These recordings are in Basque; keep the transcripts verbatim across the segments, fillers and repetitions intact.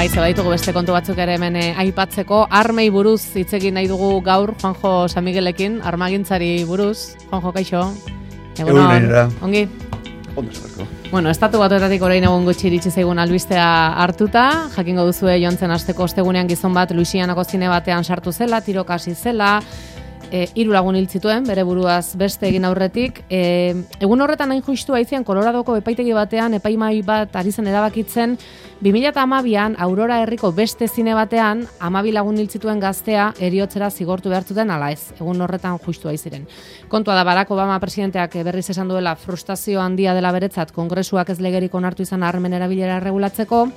Bai, zebaitugu beste kontu batzuk ere hemen eh, aipatzeko. Armei buruz hitz egin nahi dugu gaur, Juanjo San Miguelekin, armagintzari buruz. Juanjo, kaixo. Egunon, ongi? Ondo zerako. Bueno, estatu batuetatik orain egun gutxi iritsi zaigun albistea hartuta, jakingo duzue jontzen asteko ostegunean gizon bat Luisianako zine batean sartu zela, tiroka hasi zela, e, hiru lagun hil zituen, bere buruaz beste egin aurretik. E, egun horretan hain justu aizian Koloradoko epaitegi batean, epaimai bat ari zen erabakitzen, bi mila hamabian Aurora herriko beste zine batean, hamabi lagun hil zituen gaztea heriotzera zigortu behar zuten ala ez. Egun horretan justu aiziren. Kontua da Barack Obama presidenteak berriz esan duela frustrazio handia dela beretzat Kongresuak ez legerik onartu izan armen erabilera erregulatzeko.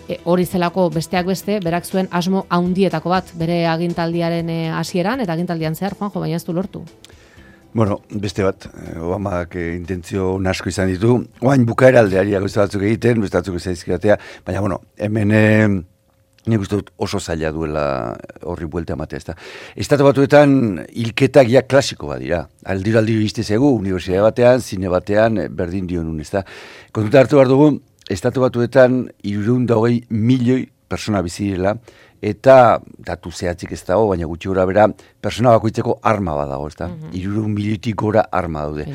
E, hori zelako besteak beste, berak zuen asmo haundietako bat, bere agintaldiaren hasieran eta agintaldian zehar, Juanjo, baina ez du lortu. Bueno, beste bat, Obamak eh, intentzio nasko izan ditu, oain bukaera aldeari gauza batzuk egiten, beste batzuk zaizkidatea, baina, bueno, hemen eh, nik uste dut oso zaila duela horri buelta ematea, ezta. Estatu batuetan hilketak ja klasiko bat dira, aldiro aldiro iztezegu, unibertsitate batean, zine batean, berdin dionun, ezta. Kontuta hartu behar dugu, Estatu batuetan hirurehun eta hogei milioi persona bizi direla, eta datu zehatzik ez dago, baina gutxi gora bera, persona bakoitzeko arma bat dago, ezta? hirurehun milioitik gora arma daude.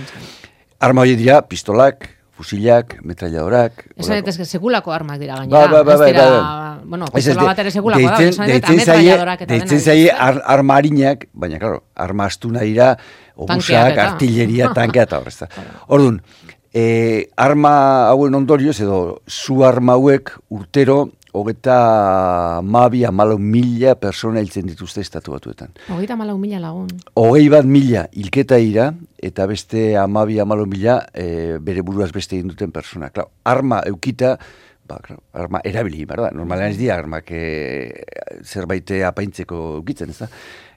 Arma horiek dira, pistolak, fusilak, metralladorak. Esan daitezke sekulako armak dira gainera. Ba, ba, ba, ez dira, ba, bueno, pistola bat ere sekulako da, esan daitezke metralladorak eta dena. Deitzen zaie arma harinak, baina, klaro, arma astuna dira, obusak, artilleria, tankea eta horrezta. Orduan, E, arma hauen ondorioz edo zu arma hauek urtero hogeita mabi amalau mila persona hiltzen dituzte estatu batuetan. Hogeita amalau mila lagun. Hogei bat mila hilketa ira eta beste amabi amalau mila e, bere buruaz beste egin duten persona. Klar, arma eukita, ba, klar, arma erabili, berda? Normalean ez dira armak e, zerbait apaintzeko eukitzen, ez da?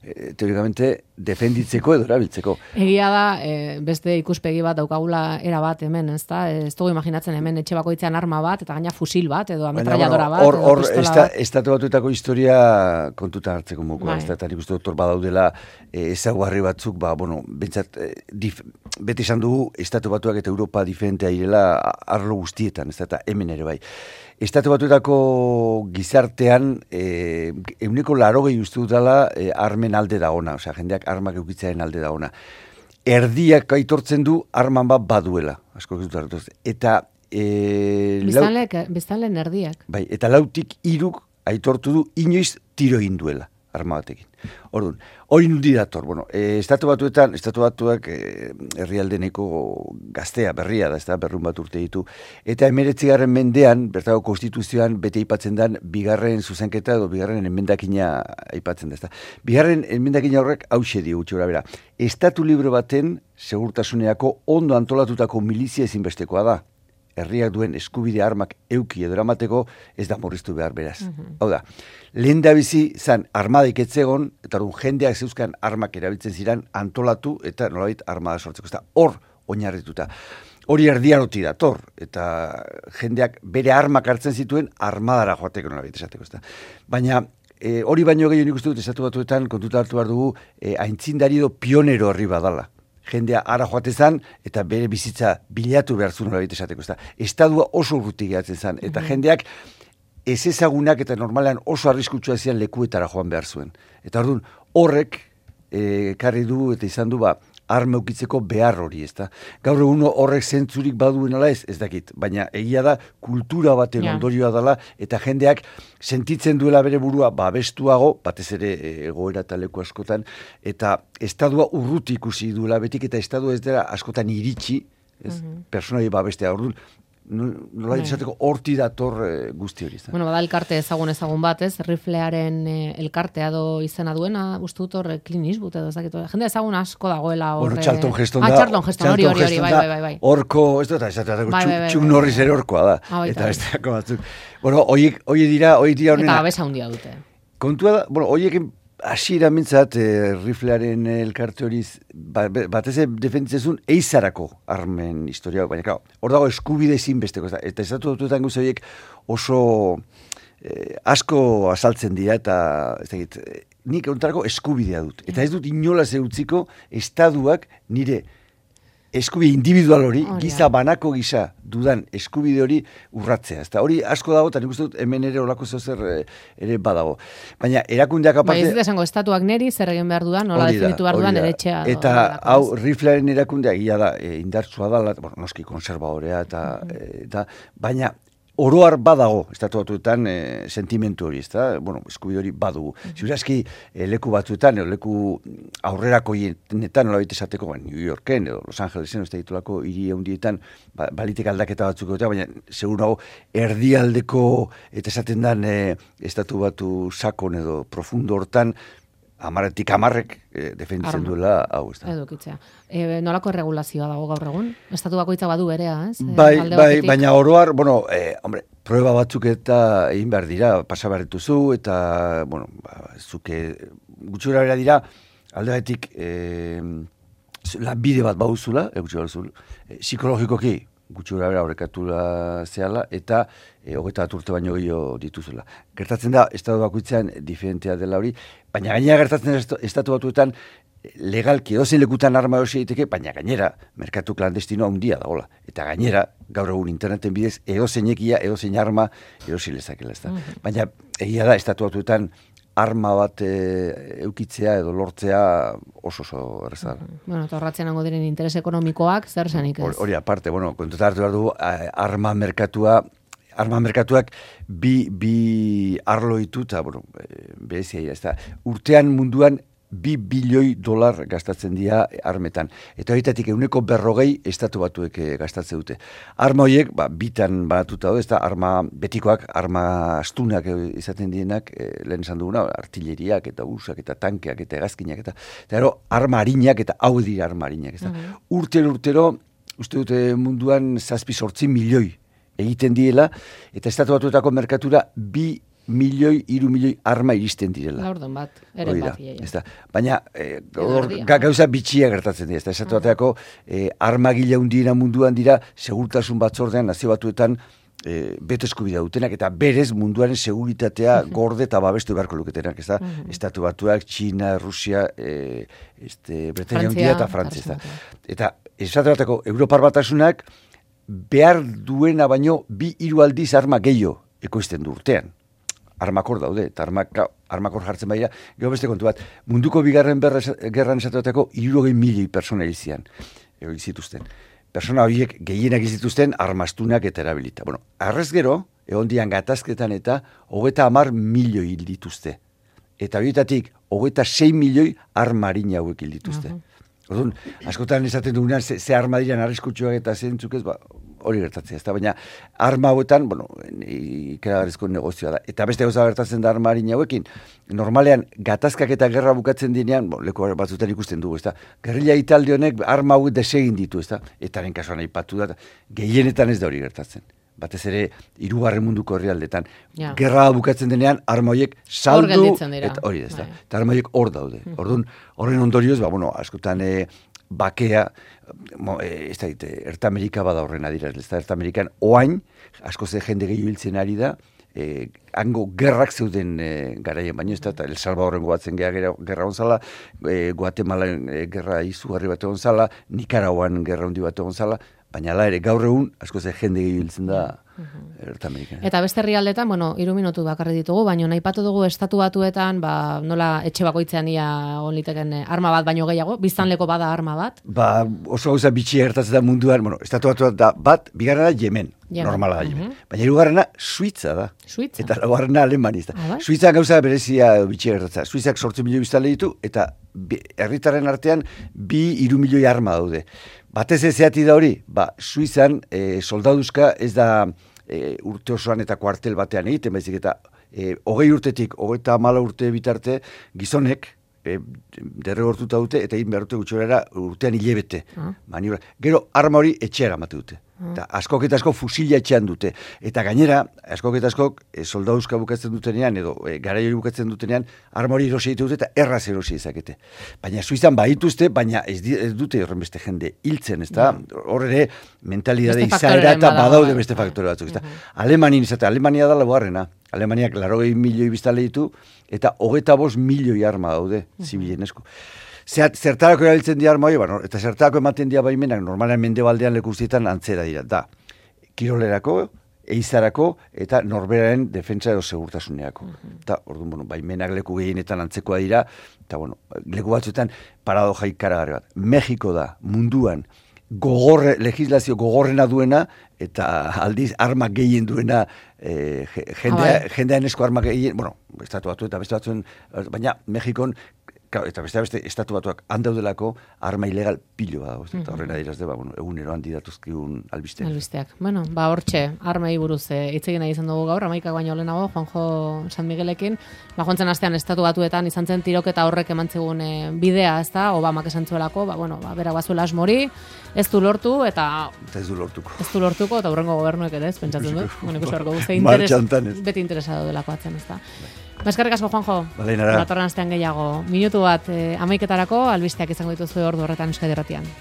E, teorikamente defenditzeko edo erabiltzeko. Egia da, e, beste ikuspegi bat daukagula era bat hemen, ez da? Ez dugu imaginatzen hemen etxe bakoitzean arma bat, eta gaina fusil bat, edo ametralladora bat, or, edo or, pistola esta, bat. Estatu batuetako historia kontutan hartzeko mokoa, Bai. ez da, eta nik uste doktor badaudela e, ezaguarri batzuk, ba, bueno, bentsat, e, dif, beti esan dugu, Estatu Batuak eta Europa diferentea direla arlo guztietan, ez da, eta hemen ere bai. Estatu Batuetako gizartean eh, euneko larogei uste dutela eh, armen alde da ona, osea, jendeak armak eukitzearen alde da ona. Erdiak aitortzen du arman bat baduela, asko ez dut eta eh, biztanleen erdiak. Bai, eta lautik hiruk aitortu du inoiz tiro egin duela arma batekin. Orduan, hori nundi dator, bueno, e, estatu batuetan, estatu batuak e, herrialde nahiko gaztea, berria da, ez da, berrun bat urte ditu, eta emeretzigarren mendean, bertako konstituzioan bete aipatzen den, bigarren zuzenketa edo bigarren emendakina aipatzen da, ez da. Bigarren emendakina horrek hauxe dio gutxi gora bera. Estatu libre baten segurtasuneako ondo antolatutako milizia ezinbestekoa da. Herriak duen eskubide armak euki edo eramateko ez da murriztu behar beraz. Mm-hmm. Hau da, lehen da bizi zan armadaik etzegon, eta orduan jendeak zeuzkan armak erabiltzen ziren antolatu eta nolabait armada sortzeko. Ez da hor oinarrituta. Hori erdiaroti dator, eta jendeak bere armak hartzen zituen armadara joateko nolabait esateko. Ez da. Baina e, hori baino gehiago nik uste dut Estatu Batuetan kontuta hartu behar dugu e, aintzindari edo pionero horri badala. Jendea ara joatezan eta bere bizitza bilatu behar zuen hori esateko. Estadua oso urruti gehatzen zen, eta mm-hmm. jendeak ez ezagunak eta normalean oso arriskutsua zian lekuetara joan behar zuen. Eta orduan horrek e, karri du eta izan du ba, arma eukitzeko behar hori, ezta. Gaur egun horrek zentzurik baduen ala ez, ez dakit, baina egia da kultura baten yeah. ondorioa dela, eta jendeak sentitzen duela bere burua babestuago, batez ere egoera eta leku askotan, eta estadua urruti ikusi duela betik, eta estadua ez dela askotan iritsi, ez, mm-hmm. personai babestea, orduan, nola izateko horti dator e, guzti hori. Zan. Bueno, bada elkarte ezagun ezagun bat, ez? Riflearen e, elkartea do izena duena, uste dut hor Clint Eastwood edo ez dakit. Jende ezagun asko dagoela hor. Hor Charlton Heston da. Ah, Charlton Heston, hori, hori, hori, bai, bai, bai, bai. Horko, ez dut, ez dut, Chuck Norris ere horkoa da. Ah, eta besteako batzuk. Bueno, hoiek, hoiek dira, hoiek dira honena. Eta babesa handia dute. Kontua da, bueno, hoiek hasiera mintzat, eh, riflearen elkarte hori ba, batez defenditzezun eizarako armen historia, baina claro, hor dago eskubide zinbesteko, eta estatu batuetan gauza horiek oso eh, asko azaltzen dira, eta ez dakit, nik ontarako eskubidea dut. Eta ez dut inolaz eutziko estaduak nire eskubide individual hori, giza banako gisa dudan eskubide hori urratzea. Eta hori asko dago, eta nik uste dut hemen ere olako zer ere badago. Baina erakundeak aparte... Ba, ez dut esango, estatuak neri zer egin behar dudan, nola definitu behar dudan ere etxea. Eta hau, riflearen erakundea, gila da, e, indartsua da, bueno, noski konservadorea, eta, mm-hmm. eta baina... Oroar badago, estatu batuetan, e, sentimentu hori, ez da? Bueno, eskubide hori badugu. Mm-hmm. Ziurazki, e, leku batzuetan, edo leku aurrerako hienetan, nola baita esateko, ba, New Yorken, edo Los Angelesen, ez da ditulako hiri handietan, ba, balitek aldaketa batzuk egotea, baina, segur nago, erdialdeko, eta esaten dan, e, estatu batu sakon edo profundo hortan, amaretik amarrek e, defenditzen duela hau, ez da. Edukitzea. E, nolako erregulazioa dago gaur egun? Estatu bakoitza badu berea, ez? Bai, bai, baina oroar, bueno, eh, hombre, prueba batzuk eta egin behar dira, pasa behar dituzu, eta, bueno, ba, zuke, gutxura bera dira, alde batetik, eh, bide bat bauzula, e, gutxura bauzula, eh, psikologikoki, gutxura bera horrekatula zehala, eta e, hogeita bat urte baino gehiago dituzula. Gertatzen da, estatu bakoitzean diferentea dela hori, baina gainera gertatzen da estatu batuetan legalki edozein lekutan arma erosi egiteke, baina gainera merkatu klandestinoa handia dagoela. Eta gainera, gaur egun interneten bidez, edozeinekia, edozein arma erosi lezakela. Ez da. Mm-hmm. Baina egia da, estatu batuetan arma bat e, eukitzea edo lortzea oso oso erraza. Mm-hmm. Bueno, eta horratzen hango diren interes ekonomikoak, zer zenik ez? Hori aparte, bueno, kontuta hartu behar du, arma merkatua, arma merkatuak bi, bi arlo ditu, eta, bueno, berezia, ez da, urtean munduan bi bilioi dolar gastatzen dira armetan. Eta horitatik euneko berrogei estatu batuek gastatzen dute. Arma horiek, ba, bitan banatuta daude, ez da, arma betikoak, arma astunak izaten dienak, e, lehen esan duguna, artilleriak eta usak eta tankeak eta hegazkinak eta, eta ero, arma harinak eta hau dira arma harinak. Ez da. Mm-hmm. Urtero, urtero, uste dute munduan zazpi sortzi milioi egiten diela, eta estatu batuetako merkatura bi milioi, iru milioi arma iristen direla. Laurdon bat, eren bat. Ja. Baina, e, or, ga, gauza bitxia gertatzen dira. Estatu bateako e, arma gila hundiena munduan dira, segurtasun batzordean, nazio batuetan, e, beto eskubidea dutenak, eta berez munduaren seguritatea gorde eta babestu beharko luketenak. Ez da? Estatu batuak, Txina, Rusia, e, este, Bretania hundia eta Frantzia. Eta estatu bateko Europar batasunak behar duena baino bi hiru aldiz arma gehiago ekoizten du urtean. Armakor daude, eta armak, armakor jartzen baira, gero beste kontu bat, munduko bigarren berra, gerran esatuetako hirurogei milioi persona hil zian, hil zituzten. Persona horiek gehienak izituzten armastunak eta erabilita. Bueno, arrez gero, egon dian gatazketan eta hogeita hamar milioi hil dituzte. Eta horietatik, hogeita sei milioi armarina hauek hil dituzte. Uh-huh. Orduan, askotan esaten dugunean, ze, ze arma diran arriskutsuak eta zentzuk ez, ba, hori gertatzea, ez da, baina arma hauetan, bueno, ikeragarrizko negozioa da. Eta beste gauza gertatzen da arma harin hauekin, normalean, gatazkak eta gerra bukatzen dinean, bon, leku batzutan ikusten dugu, ez da, gerrilla italde honek arma hauek desegin ditu, ez da, eta haren kasuan aipatu da, gehienetan ez da hori gertatzen. Batez ere, hirugarren munduko herrialdetan. Ja. Gerra bukatzen denean, arma horiek saldu, eta hori ez da, eta arma horiek hor daude. Mm. Orduan, horren ondorioz, ba, bueno, askotan, e, bakea, mo, e, ez da, Erta Amerika bada horren adira, ez da, Erta Amerikan oain, asko ze jende gehiago hiltzen ari da, e, hango gerrak zeuden e, garaien, baino ez da, eta El Salvadorren goatzen gerra, gerra onzala, e, Guatemala e, gerra izugarri bat egon zala, Nikaraguan gerra hundi bat egon zala, baina ala ere gaur egun, asko ze jende gehiago hiltzen da, Erta Amerikan. Eta beste herrialdetan, bueno, hiru minutu bakarri ditugu, baina naipatu dugu estatu batuetan, ba, nola etxe bakoitzean ia onliteken arma bat baino gehiago, biztanleko bada arma bat? Ba, oso gauza bitxia gertatzen da munduan, bueno, estatu batuetan da bat, bigarrena Yemen, Yemen. Normala da Yemen. Uh-huh. Baina hirugarrena Suitza da. Suitza? Eta laugarrena Alemania da. Ah, Suitza gauza berezia bitxia gertatzen. Suitzak zortzi milioi biztanle ditu, eta herritarren artean bi hiru milioi arma daude. Batez ez zeati da hori, ba, Suizan e, soldaduzka ez da e, urte osoan eta kuartel batean egiten, baizik eta e, hogei urtetik, hogeita hamala urte bitarte, gizonek e, derregortuta dute, eta egin behar dute gutxorera urtean hilebete. Ah. Maniobra. Gero arma hori etxeara mate dute. Eta askok eta askok fusila etxean dute. Eta gainera, askok eta askok e, soldaduzka bukatzen dutenean, edo e, garaiori bukatzen dutenean, arma hori erosi dute eta erraz erosi ezakete. Baina Suizan badituzte, baina ez, di, ez dute horren beste jende hiltzen, ez da? Hor ere, mentalidade izaera eta badaude beste faktore batzuk, ez da? Uh-huh. Alemanin izate, Alemania da laugarrena. Alemaniak larogei milioi biztanle ditu, eta hogeita bost milioi arma daude, zibilen esku. zertarako erabiltzen dira arma hori, bueno, eta zertarako ematen dira baimenak, normalean mendebaldean lekuzietan antzera dira, da, kirolerako, eizarako eta norberaren defentsa edo segurtasuneako. Uh-huh. Eta, orduan, bueno, baimenak leku gehienetan antzekoa dira, eta, bueno, leku batzuetan paradoja ikaragarri bat. Mexiko da, munduan, gogorre, legislazio gogorrena duena, eta aldiz armak gehien duena, eh, jendea, ah, jendean esko armak gehien, bueno, estatu batu eta beste batzuen, baina Mexikon, eta beste beste estatu batuak handaudelako arma ilegal pilo da, mm-hmm. eta horrena diraz deba, bueno, egunero handi datuzkiun albisteak. Albisteak. Bueno, ba hortxe, armei buruz hitz egin nahi izan dugu gaur, amaikak baino lehenago, Juanjo San Miguelekin, ba joantzen astean estatu batuetan izan zen tiroketa horrek emantzigun e, bidea, ez da, Obamak esan zuelako, ba, bueno, ba, berak bazuela asmori, ez du lortu, eta... Eta ez du lortuko. Ez du lortuko, eta hurrengo gobernuek ere ez, pentsatzen dut. Bueno, ikusi beharko guzti interes, beti interesado delako atzen, ez da. Eskerrik asko, Juanjo. Bale, nara. Datorren astean gehiago. Minutu bat, eh, amaiketarako, albisteak izango dituzue ordu horretan Euskadi Irratian.